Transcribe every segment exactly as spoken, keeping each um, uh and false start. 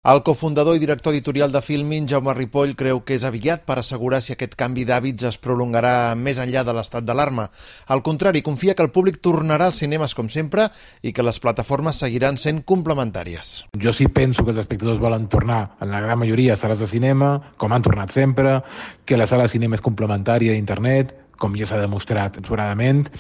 El cofundador i director editorial de Filmin, Jaume Ripoll, creu que és aviat per assegurar si aquest canvi d'hàbits es prolongarà més enllà de l'estat d'alarma. Al contrari, confia que el públic tornarà als cinemes com sempre i que les plataformes seguiran sent complementàries. Jo sí penso que els espectadors volen tornar, en la gran majoria, a sales de cinema, com han tornat sempre, que la sala de cinema és complementària d'internet, com ja s'ha demostrat sobradament.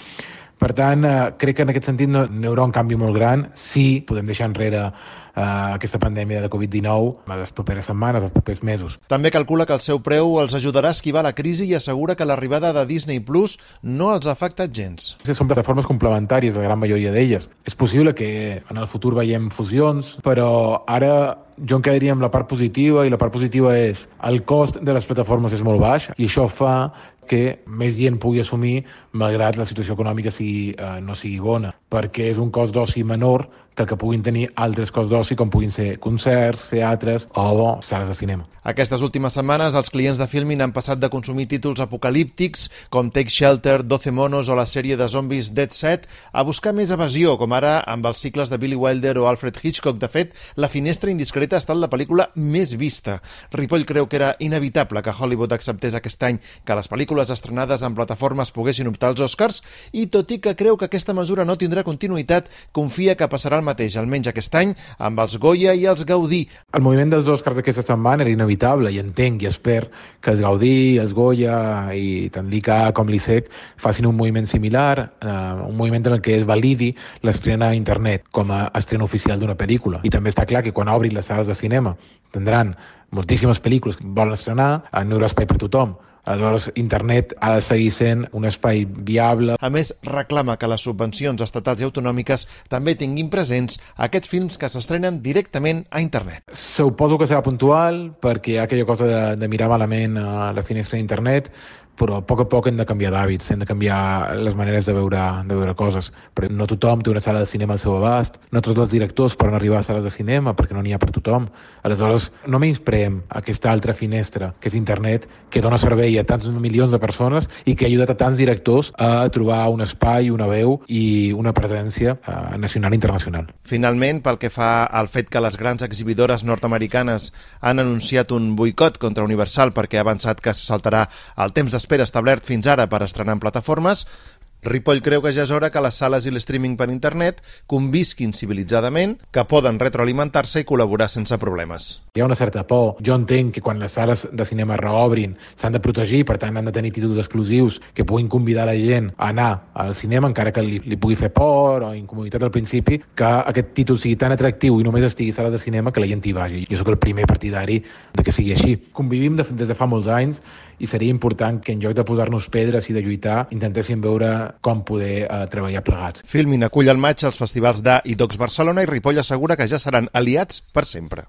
Per tant, eh, crec que en aquest sentit no, no hi haurà un canvi molt gran si podem deixar enrere eh, aquesta pandèmia de covid dinou a les properes setmanes, als propers mesos. També calcula que el seu preu els ajudarà a esquivar la crisi i assegura que l'arribada de Disney Plus no els ha afectat gens. Són plataformes complementàries, la gran majoria d'elles. És possible que en el futur veiem fusions, però ara jo em quedaria amb la part positiva, i la part positiva és el cost de les plataformes és molt baix i això fa que més gent pugui assumir malgrat la situació econòmica sigui, eh, no sigui bona, perquè és un cost d'oci menor que el que puguin tenir altres costs d'oci com puguin ser concerts, teatres o sales de cinema. Aquestes últimes setmanes els clients de Filmin han passat de consumir títols apocalíptics com Take Shelter, doce monos o la sèrie de zombis Dead Set a buscar més evasió, com ara amb els cicles de Billy Wilder o Alfred Hitchcock. De fet, La finestra indiscreta ha estat la pel·lícula més vista. Ripoll creu que era inevitable que Hollywood acceptés aquest any que les pel·lícules estrenades en plataformes poguessin optar als Oscars i, tot i que creu que aquesta mesura no tindrà continuïtat, confia que passarà el mateix, almenys aquest any, amb els Goya i els Gaudí. El moviment dels Oscars d'aquesta setmana era inevitable i entenc i espero que els Gaudí, els Goya i tant l'I C A com l'I S E C facin un moviment similar, eh, un moviment en el que es validi l'estrena a internet com a estrena oficial d'una pel·lícula. I també està clar que quan obrin les sales de cinema tindran moltíssimes pel·lícules que volen estrenar, no hi haurà espai per tothom. Aleshores, internet ha de seguir sent un espai viable. A més, reclama que les subvencions estatals i autonòmiques també tinguin presents aquests films que s'estrenen directament a internet. Suposo que serà puntual, perquè hi ha aquella cosa de, de mirar malament a la finestra d'internet, però a poc a poc hem de canviar d'hàbits, hem de canviar les maneres de veure, de veure coses. Però no tothom té una sala de cinema al seu abast, no tots els directors poden arribar a sales de cinema perquè no n'hi ha per tothom. Aleshores, no menyspreem aquesta altra finestra, que és internet, que dona servei a tants milions de persones i que ha ajudat a tants directors a trobar un espai, una veu i una presència eh, nacional i internacional. Finalment, pel que fa al fet que les grans exhibidores nord-americanes han anunciat un boicot contra Universal perquè ha avançat que se saltarà el temps d'espera establert fins ara per estrenar en plataformes, Ripoll creu que ja és hora que les sales i l'streaming per internet convisquin civilitzadament, que poden retroalimentar-se i col·laborar sense problemes. Hi ha una certa por. Jo entenc que quan les sales de cinema reobrin s'han de protegir, per tant han de tenir títols exclusius que puguin convidar la gent a anar al cinema, encara que li, li pugui fer por o incomoditat al principi, que aquest títol sigui tan atractiu i només estigui a sales de cinema que la gent hi vagi. Jo sóc el primer partidari de que sigui així. Convivim de, des de fa molts anys i seria important que en lloc de posar-nos pedres i de lluitar intentéssim veure com poder eh, treballar plegats. Filmin acull al maig els festivals d'A i Docs Barcelona i Ripoll assegura que ja seran aliats per sempre.